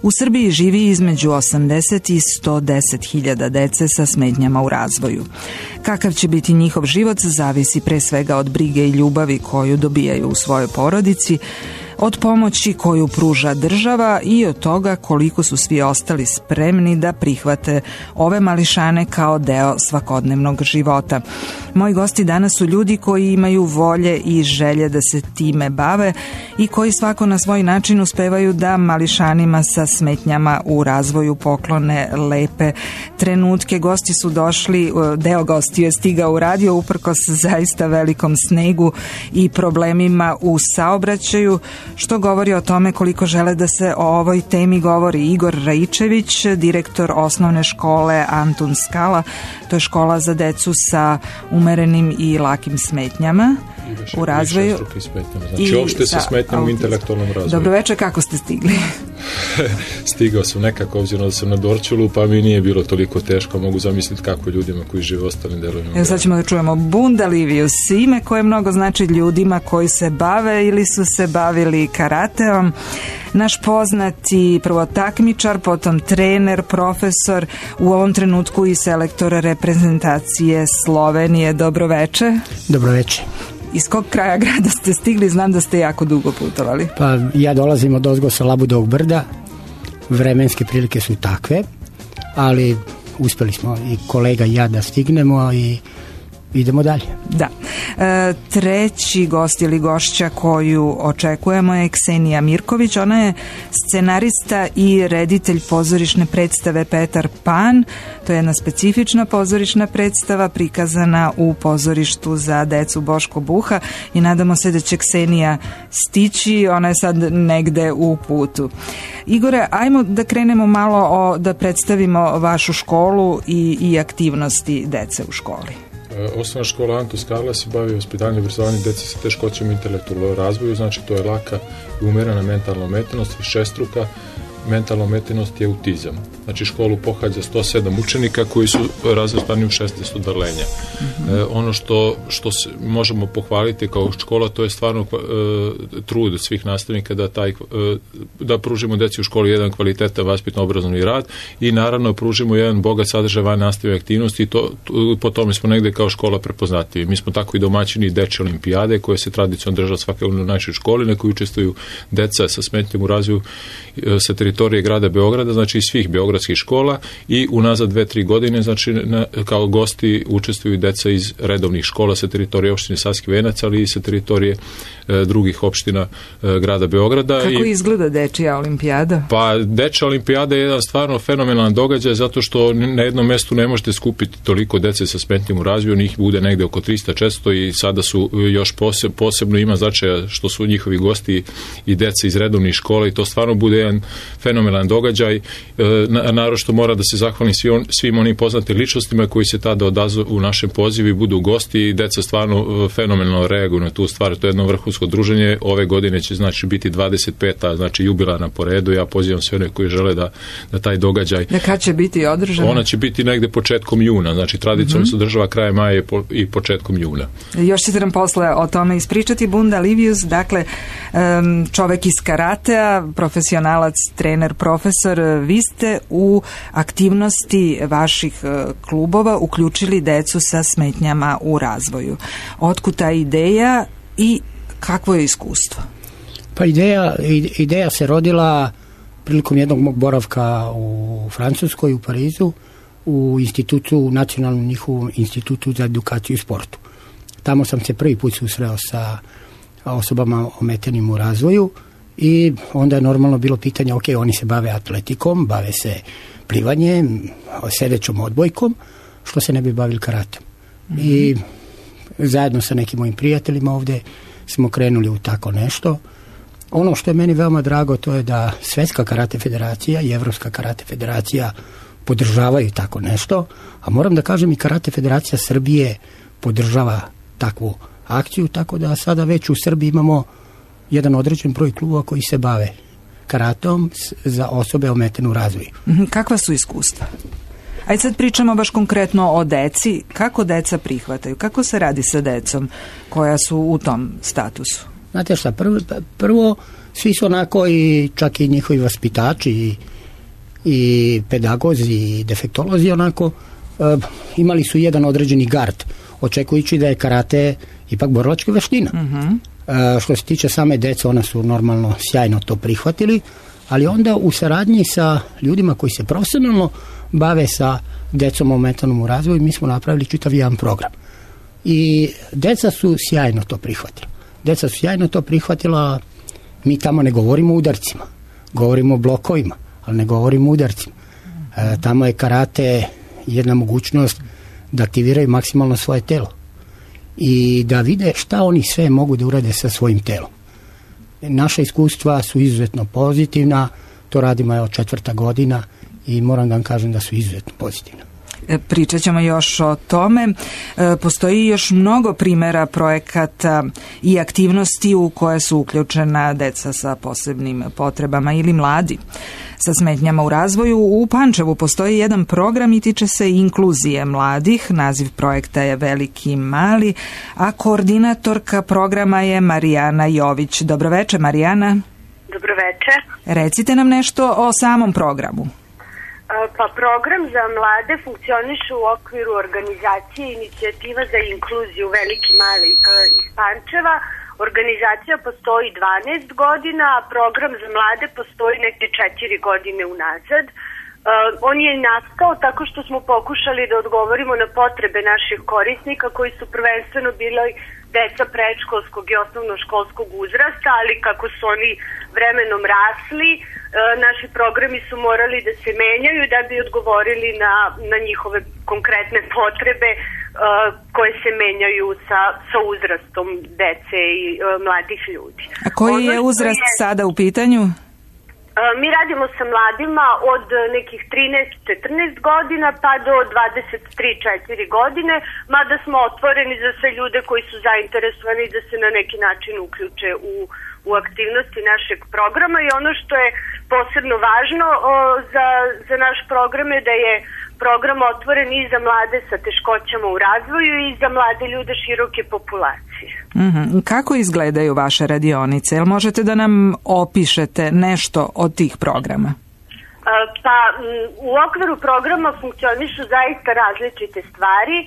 U Srbiji živi između 80 i 110 hiljada dece sa smetnjama u razvoju. Kakav će biti njihov život zavisi pre svega od brige i ljubavi koju dobijaju u svojoj porodici, od pomoći koju pruža država i od toga koliko su svi ostali spremni da prihvate ove mališane kao deo svakodnevnog života. Moji gosti danas su ljudi koji imaju volje i želje da se time bave i koji svako na svoj način uspevaju da mališanima sa smetnjama u razvoju poklone lepe trenutke. Gosti su došli, deo gostiju je stigao u radio uprkos zaista velikom snegu i problemima u saobraćaju, što govori o tome koliko žele da se o ovoj temi govori. Igor Raičević, direktor osnovne škole Antun Skala, to je škola za decu sa umerenim i lakim smetnjama u razvoju. Znači uopšte sa smetnjama u intelektualnom razvoju. Dobroveče, kako ste stigli? Stigao sam nekako, obzirom da sam na Dorćolu, pa mi nije bilo toliko teško, mogu zamisliti kako ljudima koji žive u ostalim delovima. Evo sad ćemo da čujemo Bunda Livius, ime koje mnogo znači ljudima koji se bave ili su se bavili karateom. Naš poznati prvo takmičar, potom trener, profesor, u ovom trenutku i selektor reprezentacije Slovenije. Dobroveče. Dobroveče. Iz kog kraja grada ste stigli? Znam da ste jako dugo putovali. Pa ja dolazim od ozgo sa Labudovog brda. Vremenske prilike su takve, ali uspeli smo i kolega i ja da stignemo i idemo dalje. Da. Treći gost ili gošća koju očekujemo je Ksenija Mirković. Ona je scenarista i reditelj pozorišne predstave Petar Pan. To je jedna specifična pozorišna predstava prikazana u pozorištu za decu Boško Buha i nadamo se da će Ksenija stići. Ona je sad negde u putu. Igore, ajmo da krenemo malo da predstavimo vašu školu i aktivnosti dece u školi. Osnovna škola Antun Skala se bavi vaspitanjem i obrazovanjem dece sa teškoćama u intelektualnom razvoju, znači to je laka i umerena mentalna ometenost, višestruka mentalna ometenost je autizam. Znači školu pohađa 107 učenika koji su razvrstani u 16 odeljenja. Ono što možemo pohvaliti kao škola, to je stvarno trud svih nastavnika da pružimo deci u školi jedan kvalitetan vaspitno-obrazovni rad i naravno pružimo jedan bogat sadržaj van nastavne aktivnosti i po tome smo negde kao škola prepoznatljivi. Mi smo tako i domaćini dečje olimpijade koje se tradicionalno država svake u našoj školi, na kojoj učestvuju deca sa smetnjama u razvoju sa teritorije grada Beograda, znači iz svih beogradskih škola i unazad 2-3 godine, znači kao gosti učestvuju deca iz redovnih škola sa teritorije opštine Savski Venac, ali i sa teritorije drugih opština grada Beograda. Kako izgleda dečija olimpijada? Pa dečja olimpijada je jedan stvarno fenomenalan događaj zato što na jednom mestu ne možete skupiti toliko dece sa smetnjama u razvoju, njih bude negde oko 300-400 i sada su još posebno ima značaja što su njihovi gosti i deca iz redovnih škola i to stvarno bude jedan fenomenalan događaj. Naročito mora da se zahvalim svim onim poznatim ličnostima koji se tada odazovu u našem pozivu i budu gosti i deca stvarno fenomenalno reaguju na tu stvar. To je jedno vrhunsko druženje. Ove godine će znači biti 25. znači jubilarna po redu. Ja pozivam sve one koji žele da taj događaj... Kad će biti održana? Ona će biti negde početkom juna. Znači tradicionalno se održava krajem maja i početkom juna. Još ćete nam posle o tome ispričati. Bunda Livius, dakle čovek iz karatea, profesionalac, trener, profesor, vi ste u aktivnosti vaših klubova uključili decu sa smetnjama u razvoju. Otkud ta ideja i kakvo je iskustvo? Pa ideja se rodila prilikom jednog mog boravka u Francuskoj, u Parizu, u institutu, nacionalnom njihovom institutu za edukaciju i sportu. Tamo sam se prvi put susreo sa osobama ometenim u razvoju i onda je normalno bilo pitanje, ok, oni se bave atletikom, bave se plivanjem, sedećom odbojkom, što se ne bi bavili karatem. I zajedno sa nekim mojim prijateljima ovde smo krenuli u tako nešto. Ono što je meni veoma drago, to je da Svetska karate federacija i Evropska karate federacija podržavaju tako nešto, a moram da kažem i Karate federacija Srbije podržava takvu akciju, tako da sada već u Srbiji imamo jedan određen broj klubova koji se bave karatom za osobe ometene u razvoju. Kakva su iskustva? Ajde sad pričamo baš konkretno o deci. Kako deca prihvataju? Kako se radi sa decom koja su u tom statusu? Znate šta, prvo svi su onako i čak i njihovi vaspitači i pedagozi i defektolozi onako imali su jedan određeni gard, očekujući da je karate ipak borilačka veština. Što se tiče same dece, ona su normalno sjajno to prihvatili, ali onda u saradnji sa ljudima koji se profesionalno bave sa decom o mentalnom razvoju, mi smo napravili čitav jedan program. I deca su sjajno to prihvatila. Mi tamo ne govorimo o udarcima, govorimo o blokovima, ali ne govorimo o udarcima. Tamo je karate jedna mogućnost da aktiviraju maksimalno svoje telo i da vide šta oni sve mogu da urade sa svojim telom. Naša iskustva su izuzetno pozitivna, to radimo od 4. godina i moram da vam kažem da su izuzetno pozitivna. Pričat ćemo još o tome. Postoji još mnogo primjera projekata i aktivnosti u koje su uključena deca sa posebnim potrebama ili mladi sa smetnjama u razvoju. U Pančevu postoji jedan program i tiče se inkluzije mladih. Naziv projekta je Veliki i mali, a koordinatorka programa je Marijana Jović. Dobroveče, Marijana. Dobroveče. Recite nam nešto o samom programu. Pa program za mlade funkcioniše u okviru organizacije Inicijativa za inkluziju Veliki mali iz Pančeva. Organizacija postoji 12 godina, a program za mlade postoji neke 4 godine unazad. On je nastao tako što smo pokušali da odgovorimo na potrebe naših korisnika koji su prvenstveno bili deca predškolskog i osnovnoškolskog uzrasta, ali kako su oni vremenom rasli, naši programi su morali da se menjaju da bi odgovorili na njihove konkretne potrebe koje se menjaju sa uzrastom dece i mladih ljudi. A koji je uzrast sada u pitanju? Mi radimo sa mladima od nekih 13-14 godina pa do 23-4 godine, mada smo otvoreni za sve ljude koji su zainteresovani da se na neki način uključe u aktivnosti našeg programa. I ono što je posebno važno za naš program je da je program otvoren i za mlade sa teškoćama u razvoju i za mlade ljude široke populacije. Kako izgledaju vaše radionice? Jel možete da nam opišete nešto od tih programa? Pa u okviru programa funkcionišu zaista različite stvari.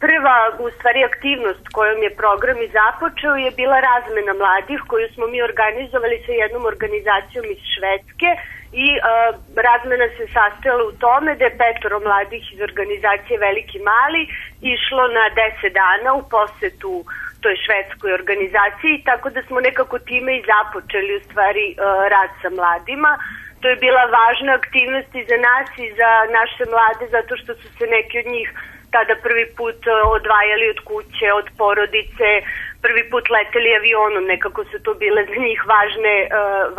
Prva, u stvari, aktivnost kojom je program i započeo je bila razmena mladih koju smo mi organizovali sa jednom organizacijom iz Švedske i razmena se sastojala u tome da je 5 mladih iz organizacije Veliki mali išlo na 10 dana u posetu toj švedskoj organizaciji, tako da smo nekako time i započeli u stvari rad sa mladima. To je bila važna aktivnost i za nas i za naše mlade zato što su se neki od njih tada prvi put odvajali od kuće, od porodice, prvi put leteli avionom, nekako su to bile za njih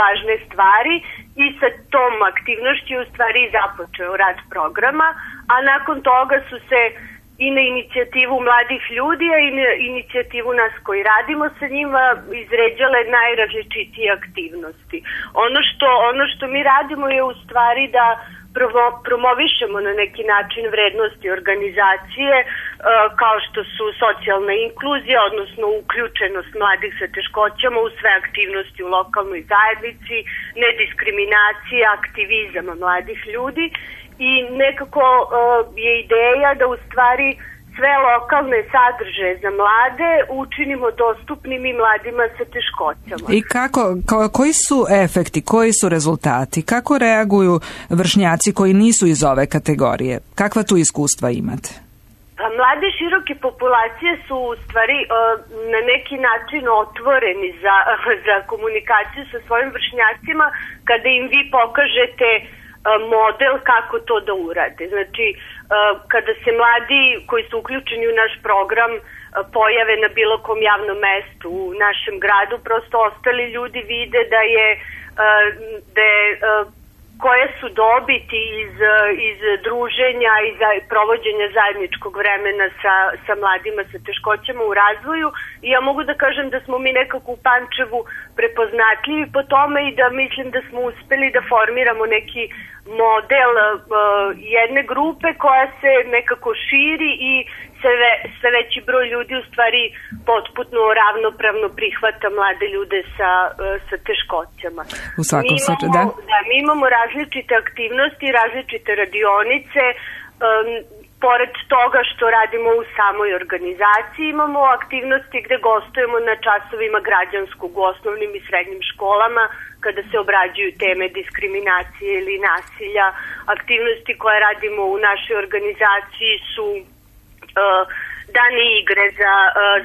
važne stvari i sa tom aktivnošću u stvari započeo rad programa, a nakon toga su se i na inicijativu mladih ljudi, a i na inicijativu nas koji radimo sa njima izređale najrazličitije aktivnosti. Ono što mi radimo je u stvari da promovišemo na neki način vrednosti organizacije kao što su socijalna inkluzija, odnosno uključenost mladih sa teškoćama u sve aktivnosti u lokalnoj zajednici, nediskriminacija, aktivizam mladih ljudi i nekako je ideja da u stvari sve lokalne sadržaje za mlade učinimo dostupnim i mladima sa teškoćama. I koji su efekti, koji su rezultati? Kako reaguju vršnjaci koji nisu iz ove kategorije? Kakva tu iskustva imate? Mlade široke populacije su u stvari na neki način otvoreni za komunikaciju sa svojim vršnjacima kada im vi pokažete model kako to da urade. Znači, kada se mladi koji su uključeni u naš program pojave na bilo kom javnom mestu u našem gradu, prosto ostali ljudi vide da je koje su dobiti iz druženja i provođenja zajedničkog vremena sa mladima sa teškoćama u razvoju. I ja mogu da kažem da smo mi nekako u Pančevu prepoznatljivi po tome i da mislim da smo uspeli da formiramo neki model jedne grupe koja se nekako širi i sve veći broj ljudi u stvari potpuno ravnopravno prihvata mlade ljude sa teškoćama. U svakom slučaju, da. Mi imamo različite aktivnosti, različite radionice. Pored toga što radimo u samoj organizaciji, imamo aktivnosti gde gostujemo na časovima građanskog u osnovnim i srednjim školama kada se obrađuju teme diskriminacije ili nasilja. Aktivnosti koje radimo u našoj organizaciji su dani igre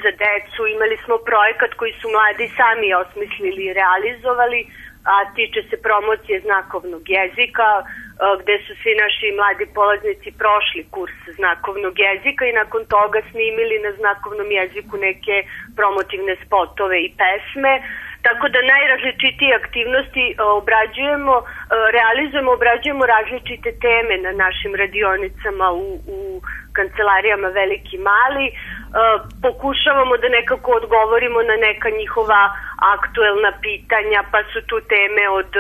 za decu. Imali smo projekat koji su mladi sami osmislili i realizovali, a tiče se promocije znakovnog jezika, gde su svi naši mladi polaznici prošli kurs znakovnog jezika i nakon toga snimili na znakovnom jeziku neke promotivne spotove i pesme. Tako da najrazličitije aktivnosti obrađujemo različite teme na našim radionicama u kancelarijama Veliki Mali. Pokušavamo da nekako odgovorimo na neka njihova aktuelna pitanja, pa su tu teme od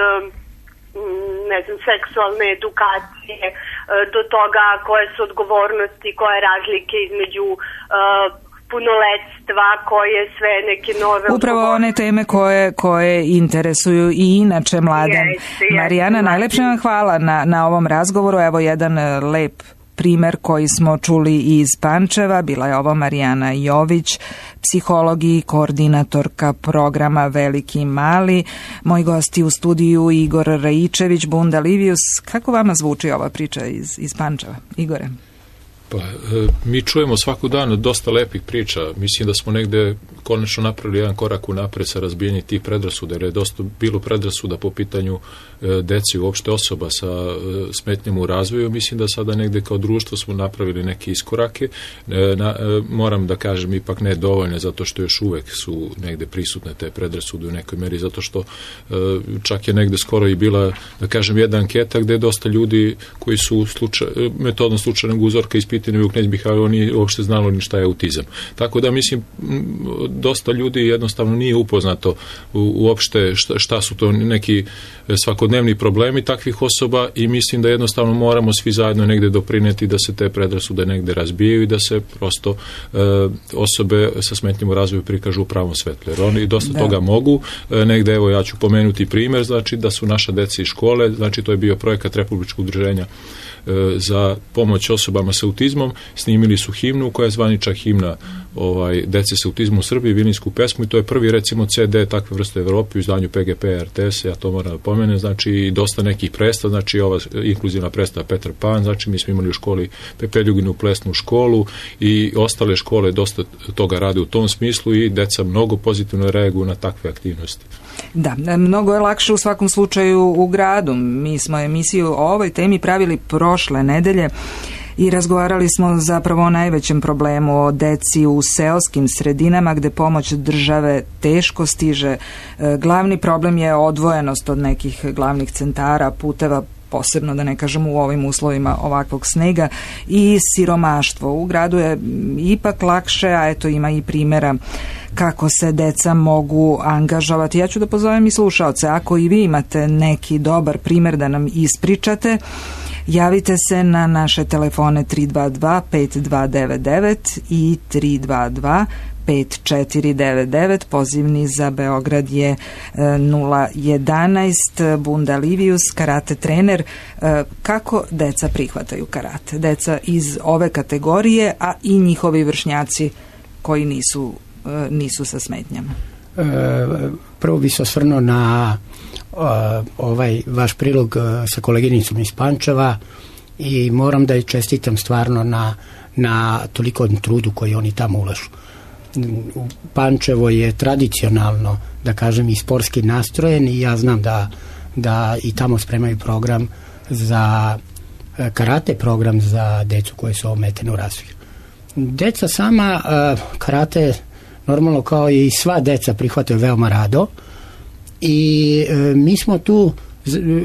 seksualne edukacije do toga koje su odgovornosti, koje razlike između punoletstva, koje sve neke nove... Upravo one teme koje interesuju i inače mlade. Marijana, najlepše vam hvala na ovom razgovoru. Evo jedan lep primer koji smo čuli iz Pančeva. Bila je ovo Marijana Jović, psiholog i koordinatorka programa Veliki Mali. Moji gosti u studiju Igor Rajičević, Bunda Livius. Kako vama zvuči ova priča iz Pančeva? Igore? Pa, mi čujemo svaku dan dosta lepih priča. Mislim da smo negde konačno napravili jedan korak unapred sa razbijanjem tih predrasuda, jer je dosta bilo predrasuda po pitanju deci i uopšte osoba sa smetnjama u razvoju. Mislim da sada negde kao društvo smo napravili neke iskorake. Moram da kažem ipak ne dovoljne, zato što još uvek su negde prisutne te predrasude u nekoj meri, zato što čak je negde skoro i bila, da kažem, jedna anketa gde je dosta ljudi koji su metodom slučajnog uzorka ispitani u Knez Mihajlovu nije uopšte znalo ni šta je autizam. Tako da mislim dosta ljudi jednostavno nije upoznato uopšte šta su to neki svakodnevni problemi takvih osoba i mislim da jednostavno moramo svi zajedno negde doprineti da se te predrasude negde razbijaju i da se prosto osobe sa smetnjama u razvoju prikažu u pravom svetlu. Jer oni dosta toga mogu. Negde, evo ja ću pomenuti primer, znači da su naša deca iz škole, znači to je bio projekat Republičkog udruženja za pomoć osobama sa autizmom, snimili su himnu koja je zvanična himna dece sa autizmom u Srbiji, Vilinsku pesmu, i to je prvi recimo CD takve vrste u Evropi u izdanju PGP RTS, ja to moram da pomenem, znači i dosta nekih predstava, znači ova inkluzivna predstava Petar Pan, znači mi smo imali u školi Pepe Ljuginu plesnu školu i ostale škole dosta toga rade u tom smislu i deca mnogo pozitivno reaguju na takve aktivnosti. Da, mnogo je lakše u svakom slučaju u gradu. Mi smo emisiju o ovoj temi pravili prošle nedelje i razgovarali smo zapravo o najvećem problemu, o deci u seoskim sredinama gde pomoć države teško stiže. Glavni problem je odvojenost od nekih glavnih centara, puteva, posebno da ne kažemo u ovim uslovima ovakvog snega, i siromaštvo. U gradu je ipak lakše, a eto ima i primjera kako se deca mogu angažovati. Ja ću da pozovem i slušaoce, ako i vi imate neki dobar primjer da nam ispričate, javite se na naše telefone 322-5299 i 322-5499. Pozivni za Beograd je 011. Bunda Livius, karate trener. Kako deca prihvataju karate? Deca iz ove kategorije, a i njihovi vršnjaci koji nisu sa smetnjama. Prvo bi se osvrnuo na ovaj vaš prilog sa koleginicom iz Pančeva i moram da je čestitam stvarno na toliko trudu koji oni tamo ulažu. Pančevo je tradicionalno, da kažem, i sportski nastrojen i ja znam da i tamo spremaju program za karate, program za decu koje su ometene u razvoju. Deca sama karate normalno kao i sva deca prihvataju veoma rado i mi smo tu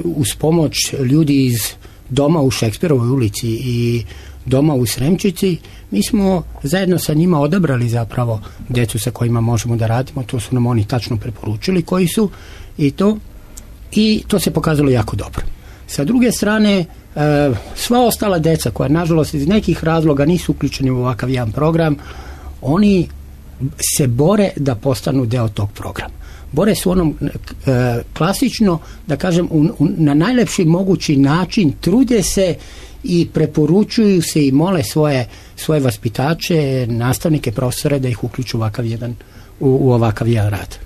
uz pomoć ljudi iz doma u Šekspirovoj ulici i doma u Sremčici, mi smo zajedno sa njima odabrali zapravo decu sa kojima možemo da radimo, to su nam oni tačno preporučili koji su i to se pokazalo jako dobro. Sa druge strane, sva ostala deca koja nažalost iz nekih razloga nisu uključeni u ovakav jedan program, oni se bore da postanu deo tog programa. Bore su onom klasično, da kažem, na najlepši mogući način, trude se i preporučuju se i mole svoje vaspitače, nastavnike, profesore da ih uključu u ovakav jedan rad.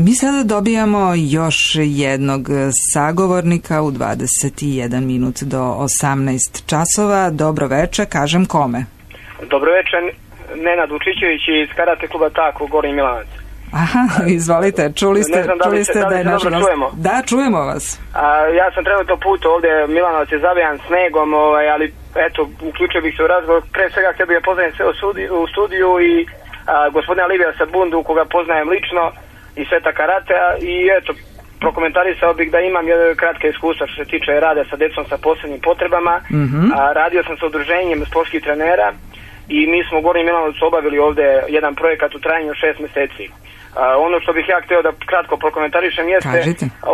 Mi sada dobijamo još jednog sagovornika u 21 minut do 18 časova. Dobro večer, kažem kome? Dobro večer, Nenad Vučićević iz Karate kluba Tako, Gornji Milanac. Aha, izvolite, čuli ste da je naša... čujemo? Da, čujemo vas. Ja sam trenutno put ovdje, Milanovac je zavijan snegom, ali eto, uključio bih se u razgovor. Pre svega htio bih da poznajem sve u studiju i gospodina Livija Sabundu, koga poznajem lično, i Sveta Karatea, i eto, prokomentarisao bih da imam kratke iskustva što se tiče rada sa decom sa posebnim potrebama. Radio sam sa udruženjem sportskih trenera i mi smo u Gornjem Milanovcu obavili ovdje jedan projekat u trajanju 6 mjeseci. Ono što bih ja htio da kratko prokomentarišem jeste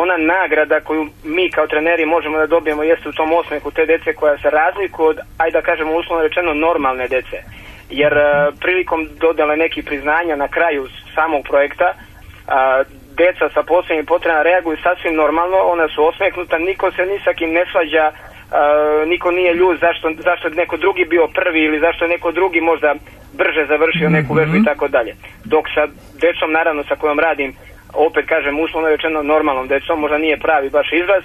ona nagrada koju mi kao treneri možemo da dobijemo jeste u tom osmehu te dece koja se razlikuje od, ajde da kažemo uslovno rečeno, normalne dece. Jer prilikom dodale nekih priznanja na kraju samog projekta, deca sa posebnim potrebama reaguju sasvim normalno, ona su osmehnuta, niko se ni sa kim ne svađa, niko nije ljut zašto neko drugi bio prvi ili zašto je neko drugi možda brže završio neku vežbu i tako dalje. Dok sa decom, naravno, sa kojom radim, opet kažem, uslovno rečeno normalnom decom, možda nije pravi baš izraz,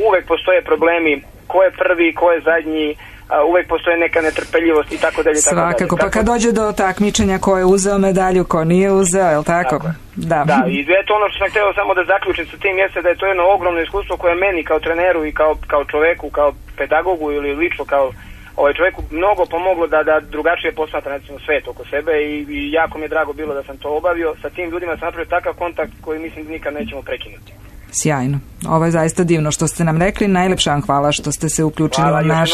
uvek postoje problemi ko je prvi, ko je zadnji, uvek postoje neka netrpeljivost i tako dalje. Svakako, pa kad dođe do takmičenja ko je uzeo medalju, ko nije uzeo, je li tako? Da, i eto ono što sam htio samo da zaključim sa tim jeste da je to jedno ogromno iskustvo koje meni kao treneru i kao čoveku, kao pedagogu ili lično kao čovjeku mnogo pomoglo da drugačije posmatra recimo svet oko sebe i jako mi je drago bilo da sam to obavio. Sa tim ljudima sam napravio takav kontakt koji mislim da nikad nećemo prekinuti. Sjajno. Ovo je zaista divno što ste nam rekli. Najlepša vam hvala što ste se uključili u naš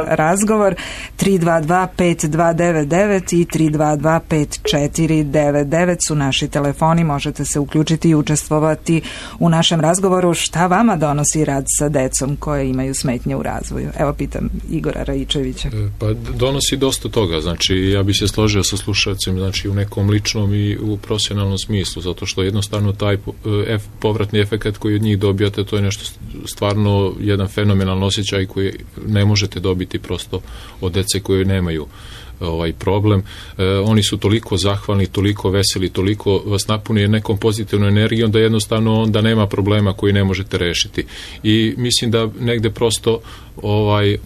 razgovor. 322-5299 i 322-5499 su naši telefoni. Možete se uključiti i učestvovati u našem razgovoru. Šta vama donosi rad sa decom koje imaju smetnje u razvoju? Evo, pitam Igora Raičevića. Pa donosi dosta toga. Znači, ja bih se složio sa slušalcem, znači u nekom ličnom i u profesionalnom smislu, zato što jednostavno taj povratni efekat koji od njih dobijate, to je nešto stvarno jedan fenomenalan osjećaj koji ne možete dobiti prosto od dece koje nemaju ovaj problem. Oni su toliko zahvalni, toliko veseli, toliko vas napuni nekom pozitivnom energijom da jednostavno onda nema problema koji ne možete rešiti. I mislim da negde prosto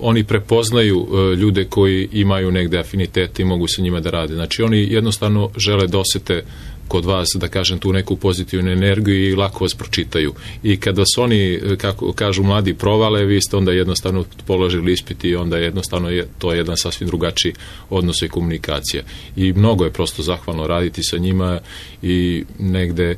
oni prepoznaju ljude koji imaju negde afinitete i mogu sa njima da rade. Znači oni jednostavno žele da osete kod vas, da kažem, tu neku pozitivnu energiju i lako vas pročitaju. I kad vas oni, kako kažu mladi, provale, vi ste onda jednostavno položili ispit i onda jednostavno to je jedan sasvim drugačiji odnos i komunikacija. I mnogo je prosto zahvalno raditi sa njima i negde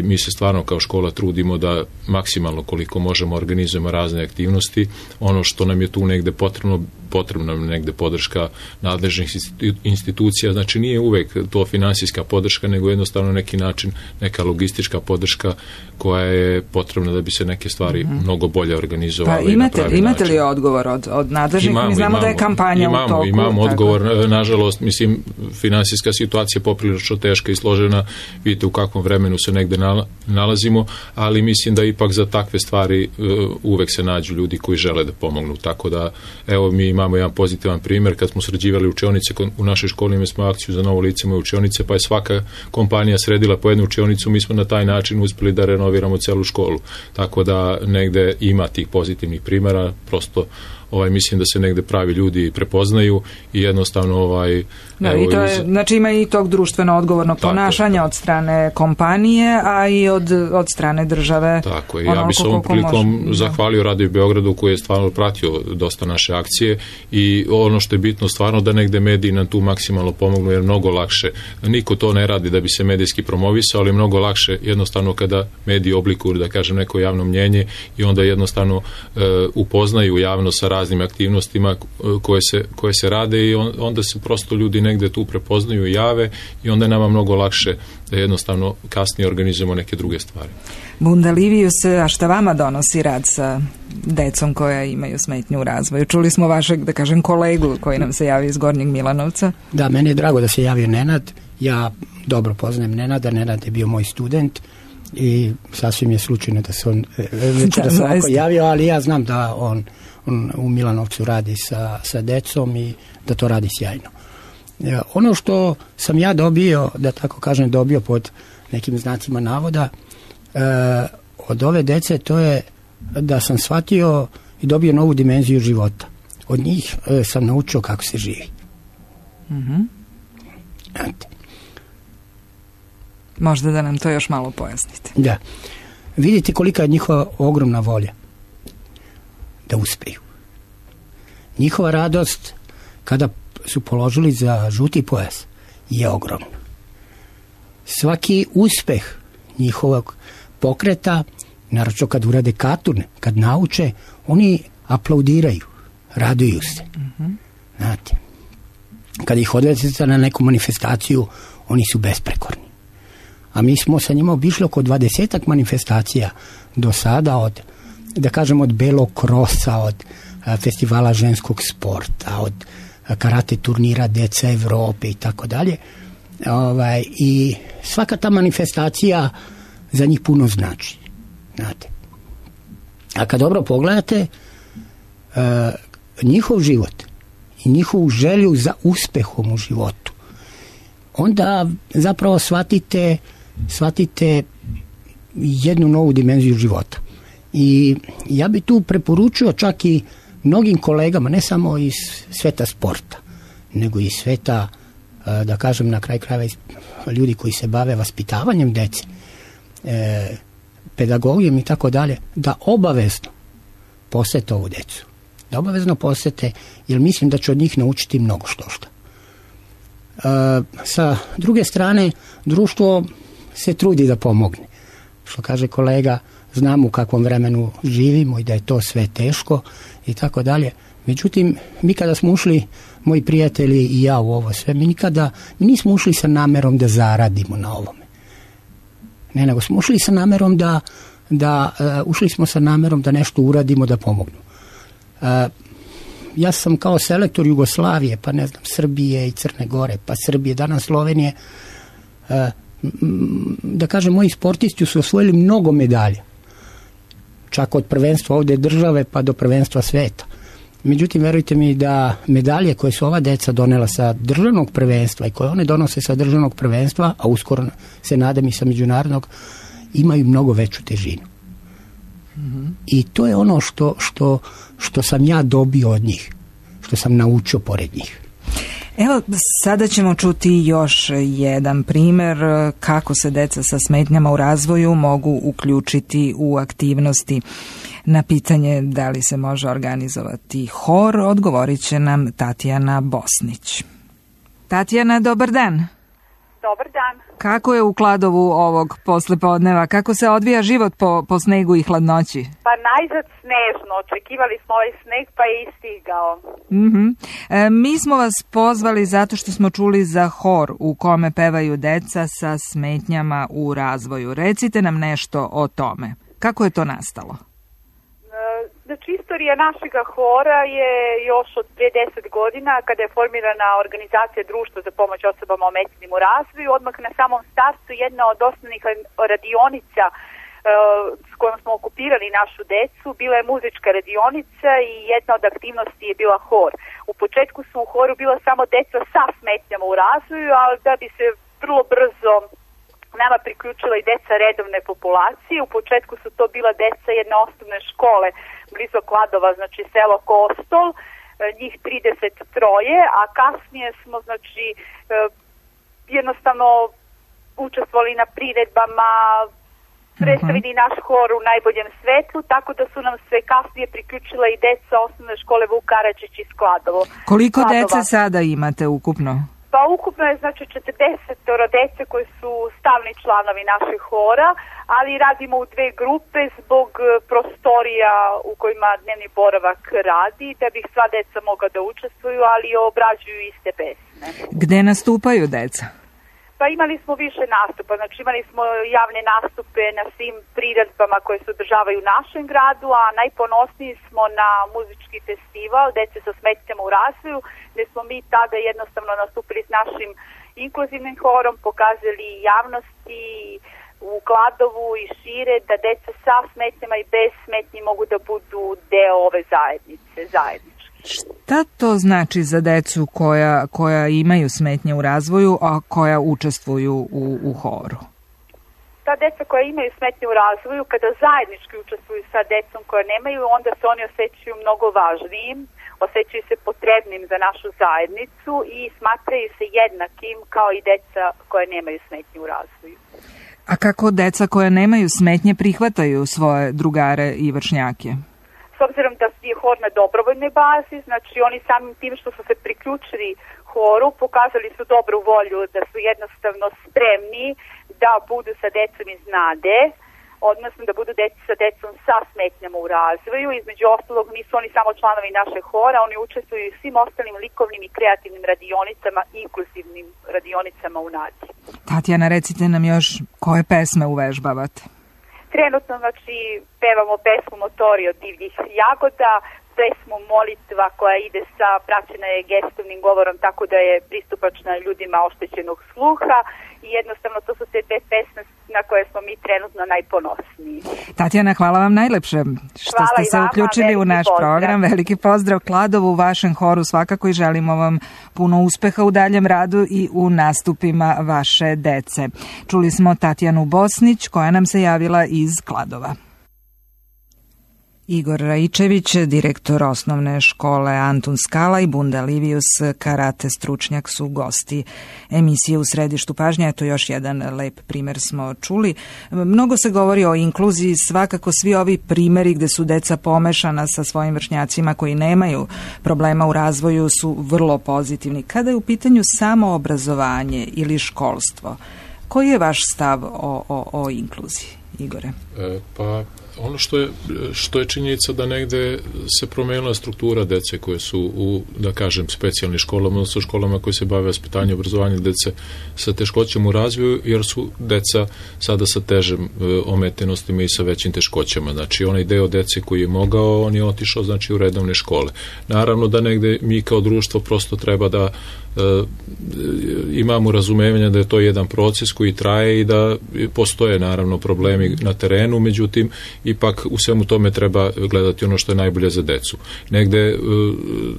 mi se stvarno kao škola trudimo da maksimalno koliko možemo organizujemo razne aktivnosti. Ono što nam je tu negde potrebna nam negde podrška nadležnih institucija, znači nije uvek to finansijska podrška, nego jednostavno neki način, neka logistička podrška koja je potrebna da bi se neke stvari mnogo bolje organizovale. Pa imate li odgovor od nadležnih? Mi znamo da je kampanja u toku. Imamo odgovor, nažalost, mislim, finansijska situacija je poprilično teška i složena, vidite u kakvom vremenu se negde nalazimo, ali mislim da ipak za takve stvari uvek se nađu ljudi koji žele da pomognu, tako da evo mi imamo jedan pozitivan primjer, kad smo sređivali učionice u našoj školi, imali smo akciju za novo lice moje učionice, pa je svaka kompanija sredila po jednu učionicu, mi smo na taj način uspeli da renoviramo celu školu, tako da negde ima tih pozitivnih primjera, prosto mislim da se negde pravi ljudi prepoznaju i jednostavno i to je, znači ima i tog društveno odgovornog ponašanja od strane kompanije, a i od strane države. Tako je, ja bi se ovom prilikom zahvalio Radio Beogradu koji je stvarno pratio dosta naše akcije i ono što je bitno stvarno da negde mediji nam tu maksimalno pomognu, jer mnogo lakše, niko to ne radi da bi se medijski promovisao, ali mnogo lakše jednostavno kada mediji oblikuju, da kažem, neko javno mnjenje i onda jednostavno upoznaju javno sa raznim aktivnostima koje se rade i onda se prosto ljudi negde tu prepoznaju i jave i onda je nama mnogo lakše da jednostavno kasnije organizujemo neke druge stvari. Bunda Livius, a šta vama donosi rad sa decom koja imaju smetnju u razvoju? Čuli smo vašeg, da kažem, kolegu koji nam se javio iz Gornjeg Milanovca. Da, meni je drago da se javio Nenad. Ja dobro poznajem Nenada. Nenad je bio moj student i sasvim je slučajno da se on večeras ovako javio, ali ja znam da on u Milanovcu radi sa decom i da to radi sjajno. Ono što sam ja dobio, da tako kažem, dobio pod nekim znacima navoda od ove dece, to je da sam shvatio i dobio novu dimenziju života. Od njih sam naučio kako se živi. Mm-hmm. Možda da nam to još malo pojasnite. Da. Vidite kolika je njihova ogromna volja da uspeju. Njihova radost kada su položili za žuti pojas je ogromna. Svaki uspeh njihovog pokreta, naročito kad urade katurne, kad nauče, oni aplaudiraju, raduju se. Mm-hmm. Znate, kad ih odvedete na neku manifestaciju, oni su besprekorni. A mi smo sa njima obišli oko 20 manifestacija do sada, od, da kažem, od Belog krosa, od festivala ženskog sporta, od karate turnira Deca Evrope i tako dalje. I svaka ta manifestacija za njih puno znači. Znate. A kad dobro pogledate, njihov život i njihovu želju za uspehom u životu, onda zapravo shvatite jednu novu dimenziju života. I ja bi tu preporučio čak i mnogim kolegama, ne samo iz sveta sporta, nego i sveta, da kažem na kraj krajeva, ljudi koji se bave vaspitavanjem dece, pedagogijom i tako dalje, da obavezno posete ovu decu. Da obavezno posete, jer mislim da će od njih naučiti mnogo što. Sa druge strane, društvo se trudi da pomogne. Što kaže kolega, znamo u kakvom vremenu živimo i da je to sve teško i tako dalje. Međutim, mi kada smo ušli, moji prijatelji i ja u ovo sve, mi nismo ušli sa namerom da zaradimo na ovome. Ne, nego smo ušli sa namerom ušli smo sa namerom da nešto uradimo, da pomognu. Ja sam kao selektor Jugoslavije, pa ne znam, Srbije i Crne Gore, pa Srbije, danas Slovenije, da kažem, moji sportisti su osvojili mnogo medalja. Čak od prvenstva ovdje države pa do prvenstva sveta. Međutim, verujte mi da medalje koje su ova deca donela sa državnog prvenstva i koje one donose sa državnog prvenstva, a uskoro se nadam i sa međunarodnog, imaju mnogo veću težinu. Mm-hmm. I to je ono što sam ja dobio od njih, što sam naučio pored njih. Evo, sada ćemo čuti još jedan primjer kako se deca sa smetnjama u razvoju mogu uključiti u aktivnosti. Na pitanje da li se može organizovati hor, odgovorit će nam Tatjana Bosnić. Tatjana, dobar dan. Dobar dan. Kako je u Kladovu ovog poslepodneva? Kako se odvija život po snegu i hladnoći? Pa najzad snežno. Očekivali smo ovaj sneg pa je istigao. Mm-hmm. Mi smo vas pozvali zato što smo čuli za hor u kome pevaju deca sa smetnjama u razvoju. Recite nam nešto o tome. Kako je to nastalo? Znači, istorija našega hora je još od prije 10 godina, kada je formirana organizacija Društva za pomoć osobama ometenim u razvoju. Odmah na samom startu jedna od osnovnih radionica s kojom smo okupirali našu decu bila je muzička radionica i jedna od aktivnosti je bila hor. U početku su u horu bila samo deca sa smetnjama u razvoju, ali da bi se vrlo brzo nama priključila i deca redovne populacije. U početku su to bila deca jedne osnovne škole blizu Kladova, znači selo Kostol, njih 33, a kasnije smo, znači, jednostavno učestvovali na priredbama, predstavili naš hor u najboljem svetlu, tako da su nam se kasnije priključila i deca osnovne škole Vuk Karadžić iz Kladovo. Koliko dece sada imate ukupno? Pa ukupno je, znači, 40 dece koji su stalni članovi naših hora, ali radimo u 2 grupe zbog prostorija u kojima dnevni boravak radi, da bi sva deca mogla da učestvuju, ali obrađuju iste pesme. Gde nastupaju deca? Pa imali smo više nastupa, znači imali smo javne nastupe na svim priredbama koje se održavaju u našem gradu, a najponosniji smo na muzički festival Dece sa smetnjama u razvoju, gde smo mi tada jednostavno nastupili s našim inkluzivnim horom, pokazali javnosti u Kladovu i šire da deca sa smetnjama i bez smetnji mogu da budu deo ove zajednice, zajednički. Šta to znači za decu koja imaju smetnje u razvoju, a koja učestvuju u horu? Ta deca koja imaju smetnje u razvoju, kada zajednički učestvuju sa decom koja nemaju, onda se oni osjećaju mnogo važnijim, osjećaju se potrebnim za našu zajednicu i smatraju se jednakim kao i deca koja nemaju smetnje u razvoju. A kako deca koja nemaju smetnje prihvataju svoje drugare i vršnjake? S obzirom da je hor na dobrovoljnoj bazi, znači oni samim tim što su se priključili horu, pokazali su dobru volju, da su jednostavno spremni da budu sa decom iz NADE, odnosno da budu sa decom sa smetnjama u razvoju. Između ostalog nisu oni samo članovi naše hora, oni učestvuju i svim ostalim likovnim i kreativnim radionicama, inkluzivnim radionicama u NADE. Tatjana, recite nam još koje pesme uvežbavate? Trenutno, znači, pevamo pesmu Motori od divljih jagoda, pesmu Molitva koja ide praćena je gestovnim govorom, tako da je pristupačna ljudima oštećenog sluha i jednostavno to su sve te pesme na koje smo mi trenutno najponosniji. Tatjana, hvala vam najlepše što ste se uključili u naš program. Veliki pozdrav Kladovu, vašem horu svakako i želimo vam puno uspeha u daljem radu i u nastupima vaše dece. Čuli smo Tatjanu Bosnić koja nam se javila iz Kladova. Igor Raičević, direktor osnovne škole Antun Skala i Bunda Livius, karate stručnjak, su gosti emisije U središtu pažnje. Eto još jedan lep primer smo čuli. Mnogo se govori o inkluziji, svakako svi ovi primeri gde su deca pomešana sa svojim vršnjacima koji nemaju problema u razvoju su vrlo pozitivni. Kada je u pitanju samo obrazovanje ili školstvo, koji je vaš stav o inkluziji, Igore? Pa ono što je činjenica da negde se promenila struktura dece koje su u, da kažem, specijalnim školama, odnosno školama koje se bave vaspitanjem i obrazovanjem dece sa teškoćama u razvoju, jer su deca sada sa težim ometenostima i sa većim teškoćama. Znači, onaj deo dece koji je mogao, on je otišao, znači, u redovne škole. Naravno da negde mi kao društvo prosto treba da imamo razumevanja da je to jedan proces koji traje i da postoje naravno problemi na terenu, međutim ipak u svemu tome treba gledati ono što je najbolje za decu. Negde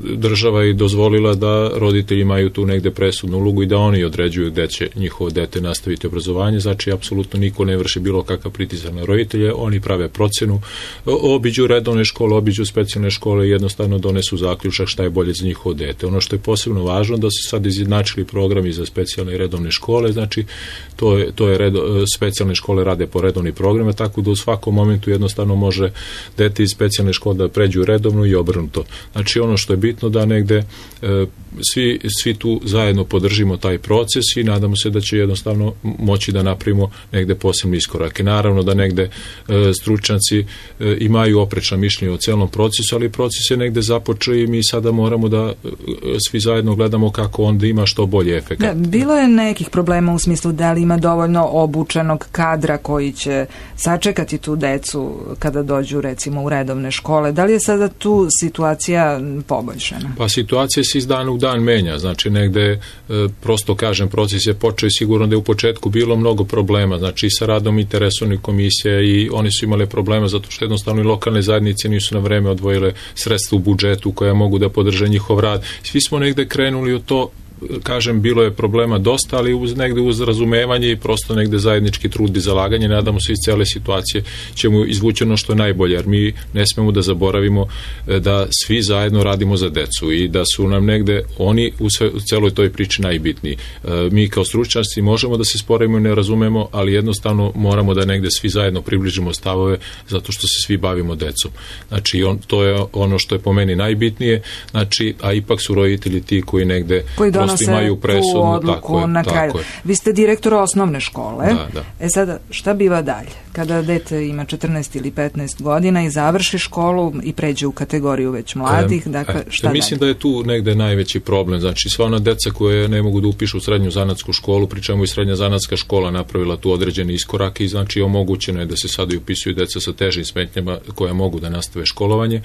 država je dozvolila da roditelji imaju tu negde presudnu ulogu i da oni određuju gde će njihovo dete nastaviti obrazovanje, znači apsolutno niko ne vrši bilo kakav pritisak na roditelje, oni prave procenu, obiđu redovne škole, obiđu specijalne škole i jednostavno donesu zaključak šta je bolje za njihovo dete. Ono što je posebno važno da se sad izjednačili programi za specijalne i redovne škole, znači specijalne škole rade po redovnim programima, tako da u svakom momentu jednostavno može dete iz specijalne škole da pređu u redovnu i obrnuto. Znači ono što je bitno da negde svi tu zajedno podržimo taj proces i nadamo se da će jednostavno moći da napravimo negde posebne iskorake. Naravno da negde stručnjaci imaju oprečna mišljenja o celom procesu, ali proces je negde započeo i mi sada moramo da svi zajedno gledamo kako onda ima što bolje efekat. Da, bilo je nekih problema u smislu da li ima dovoljno obučenog kadra koji će sačekati tu decu kada dođu recimo u redovne škole. Da li je sada tu situacija poboljšana? Pa situacija se iz dana u dan menja. Znači negde, prosto kažem, proces je počeo i sigurno da je u početku bilo mnogo problema. Znači i sa radom interesovnih komisija i oni su imali problema zato što jednostavno i lokalne zajednice nisu na vreme odvojile sredstva u budžetu koja mogu da podrže njihov rad. Svi smo negde krenuli od to, kažem, bilo je problema dosta, ali negde uz razumevanje i prosto negde zajednički trud i zalaganje, nadamo se iz cele situacije ćemo izvući ono što je najbolje, jer mi ne smemo da zaboravimo da svi zajedno radimo za decu i da su nam negde oni u celoj toj priči najbitniji. Mi kao stručnjaci možemo da se sporimo i ne razumemo, ali jednostavno moramo da negde svi zajedno približimo stavove zato što se svi bavimo decom. Znači, to je ono što je po meni najbitnije, znači, a ipak su roditelji ti koji negde okolnosti imaju presudu. Odluku na kraju. Vi ste direktor osnovne škole. Da. Sada, šta biva dalje? Kada dete ima 14 ili 15 godina i završi školu i pređe u kategoriju već mladih, dakle, šta dalje? Mislim da je tu negde najveći problem. Znači, sva ona deca koje ne mogu da upišu u srednju zanatsku školu, pri čemu i srednja zanatska škola napravila tu određeni iskorak i znači omogućeno je da se sada i upisuju deca sa težim smetnjama koje mogu da nastave školovanje.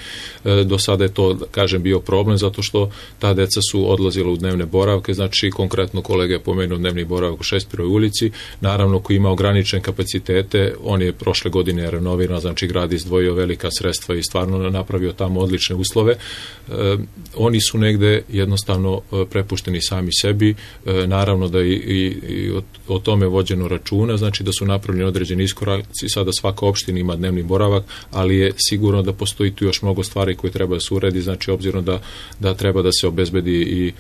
Do sada je to, kažem, bio problem zato što ta deca su odlazila u dnevne boravke, znači konkretno kolega je pomenuo dnevni boravak u Šekspirovoj ulici, naravno koji ima ograničene kapacitete, on je prošle godine renoviran, znači grad izdvojio velika sredstva i stvarno napravio tamo odlične uslove. Oni su negde jednostavno prepušteni sami sebi, naravno da i o tome vođeno računa, znači da su napravljeni određeni iskoraci, sada svaka opština ima dnevni boravak, ali je sigurno da postoji tu još mnogo stvari koje treba da se uredi, znači obzirom da treba da se obezbedi i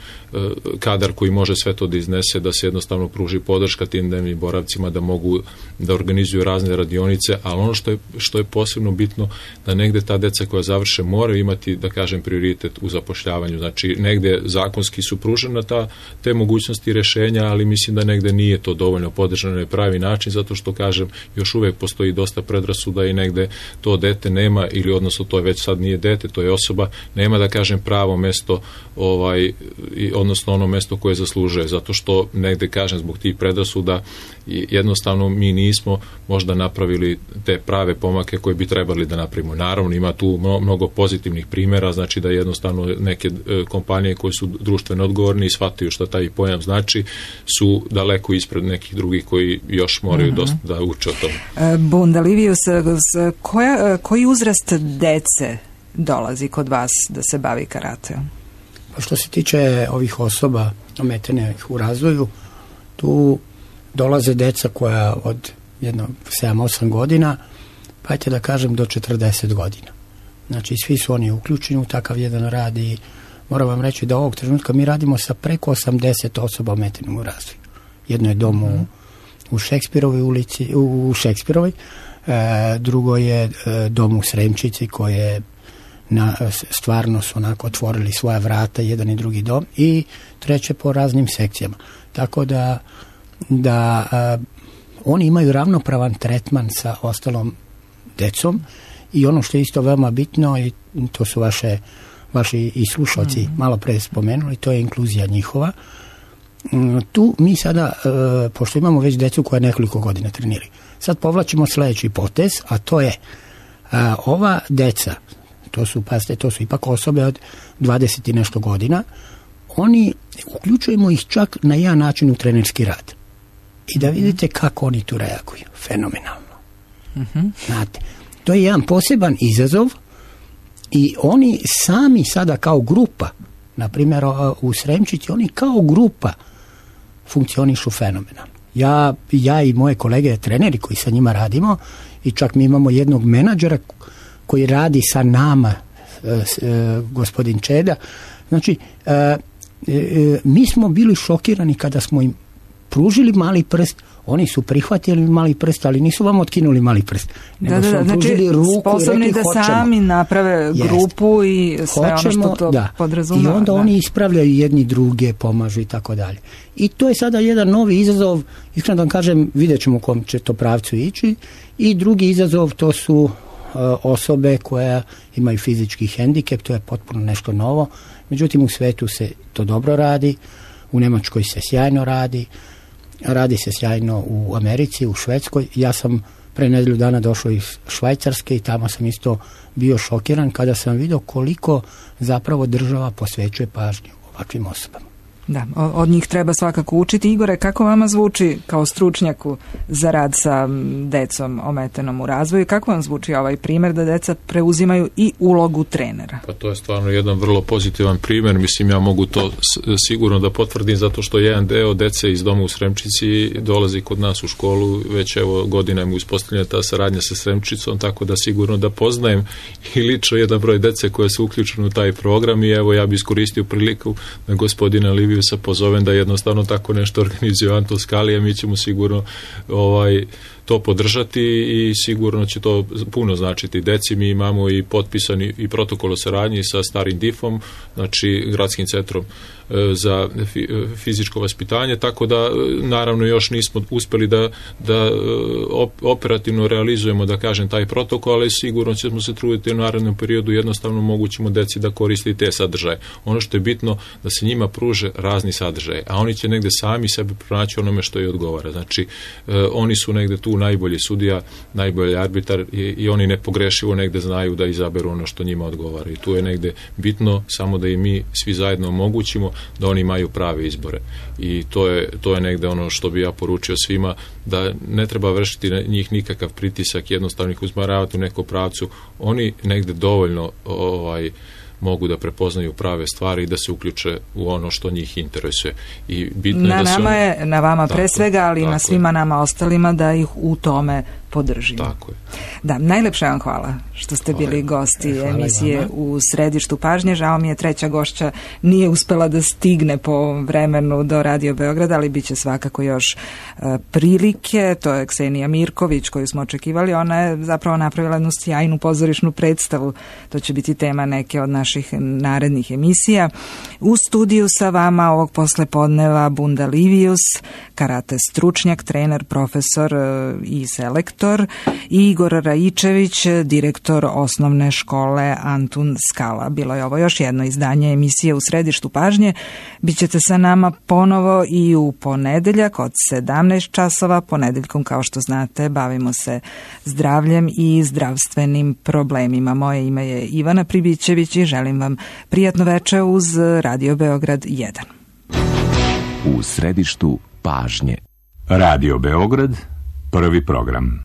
kadar koji može sve to da iznese, da se jednostavno pruži podrška tim dnevnim boravcima, da mogu da organizuju razne radionice, ali ono što je posebno bitno, da negde ta deca koja završe moraju imati, da kažem, prioritet u zapošljavanju, znači negde zakonski su pružene te mogućnosti rešenja, ali mislim da negde nije to dovoljno podržano na pravi način, zato što, kažem, još uvek postoji dosta predrasuda i negde to dete nema, ili odnosno to je već sad nije dete, to je osoba, nema, da kažem, pravo mesto, odnosno ono mesto koje zaslužuje, zato što negde, kažem, zbog tih predrasuda jednostavno mi nismo možda napravili te prave pomake koje bi trebali da napravimo. Naravno, ima tu mnogo pozitivnih primjera, znači da jednostavno neke kompanije koje su društveno odgovorni i shvataju šta taj pojam znači, su daleko ispred nekih drugih koji još moraju dosta da uče o tome. Bunda Livius, koji uzrast dece dolazi kod vas da se bavi karateom? Pa što se tiče ovih osoba ometenih u razvoju, tu dolaze deca koja od 7-8 godina, pa ajte da kažem do 40 godina. Znači, svi su oni uključeni u takav jedan rad i moram vam reći da ovog trenutka mi radimo sa preko 80 osoba ometenim u razvoju. Jedno je dom u Šekspirovoj ulici, u Šekspirovoj, drugo je dom u Sremčici koje stvarno su onako otvorili svoja vrata, jedan i drugi dom, i treće po raznim sekcijama. Tako da oni imaju ravnopravan tretman sa ostalom decom i ono što je isto veoma bitno, i to su vaši i slušalci malo pre spomenuli, to je inkluzija njihova. Tu mi sada, pošto imamo već decu koja nekoliko godina treniraju, sad povlačimo sledeći potez, a to je ova deca, to su ipak osobe od 20 i nešto godina, oni uključujemo ih čak na jedan način u trenerski rad. I da vidite kako oni tu reaguju. Fenomenalno. Znate, to je jedan poseban izazov i oni sami sada kao grupa, na primjer u Sremčici, oni kao grupa funkcionišu fenomenalno. Ja i moje kolege treneri koji sa njima radimo, i čak mi imamo jednog menadžera koji radi sa nama, gospodin Čeda. Znači, mi smo bili šokirani kada smo im pružili mali prst, oni su prihvatili mali prst, ali nisu vam otkinuli mali prst. Nego su vam pružili ruku sposobni i rekli, da sami naprave grupu i sve ono što to podrazumeva. I onda oni ispravljaju jedni druge, pomažu i tako dalje. I to je sada jedan novi izazov, iskreno da vam kažem, vidjet ćemo u kom će to pravcu ići. I drugi izazov, to su osobe koje imaju fizički hendikep, to je potpuno nešto novo. Međutim, u svetu se to dobro radi, u Nemačkoj se sjajno radi se sjajno u Americi, u Švedskoj. Ja sam pre nedelju dana došao iz Švajcarske i tamo sam isto bio šokiran kada sam vidio koliko zapravo država posvećuje pažnju ovakvim osobama. Da, od njih treba svakako učiti. Igore, kako vama zvuči kao stručnjaku za rad sa decom ometenom u razvoju? Kako vam zvuči ovaj primjer da deca preuzimaju i ulogu trenera? Pa to je stvarno jedan vrlo pozitivan primjer. Mislim, ja mogu to sigurno da potvrdim zato što jedan deo dece iz doma u Sremčici dolazi kod nas u školu. Već evo godinama uspostavljena ta saradnja sa Sremčicom, tako da sigurno da poznajem i lično jedan broj dece koje su uključene u taj program i evo ja bi iskoristio priliku da gospodina Liviju sa pozovem da jednostavno tako nešto organizuje Anton Skalija, mi ćemo sigurno to podržati i sigurno će to puno značiti deci. Mi imamo i potpisani i protokol o saradnji sa Starim DIF-om, znači Gradskim centrom za fizičko vaspitanje, tako da naravno još nismo uspjeli da operativno realizujemo, da kažem, taj protokol, ali sigurno ćemo se truditi u narednom periodu, jednostavno mogućimo deci da koristi te sadržaje. Ono što je bitno da se njima pruže razni sadržaje, a oni će negde sami sebe pronaći onome što je odgovara. Znači, oni su negde tu najbolji sudija, najbolji arbitar i oni nepogrešivo negde znaju da izaberu ono što njima odgovara. I tu je negde bitno samo da i mi svi zajedno omogućimo da oni imaju prave izbore. I to je negde ono što bi ja poručio svima, da ne treba vršiti na njih nikakav pritisak, jednostavno ih usmeravati u nekom pravcu. Oni negde dovoljno mogu da prepoznaju prave stvari i da se uključe u ono što njih interesuje. I bitno je da se na vama pre svega, ali i na svima nama ostalima da ih u tome podržimo. Tako je. Da, najlepša vam hvala što ste bili gosti emisije U središtu pažnje. Žao mi je, treća gošća nije uspela da stigne po vremenu do Radio Beograda, ali bit će svakako još prilike. To je Ksenija Mirković koju smo očekivali. Ona je zapravo napravila jednu sjajnu pozorišnu predstavu. To će biti tema neke od naših narednih emisija. U studiju sa vama ovog poslepodneva Bunda Livius, karate stručnjak, trener, profesor i selektor, i Igor Raičević, direktor osnovne škole Antun Skala. Bilo je ovo još jedno izdanje emisije U središtu pažnje. Bićete sa nama ponovo i u ponedeljak od 17 časova. Ponedeljkom, kao što znate, bavimo se zdravljem i zdravstvenim problemima. Moje ime je Ivana Pribićević i želim vam prijatno večer uz Radio Beograd 1. U središtu pažnje. Radio Beograd, prvi program.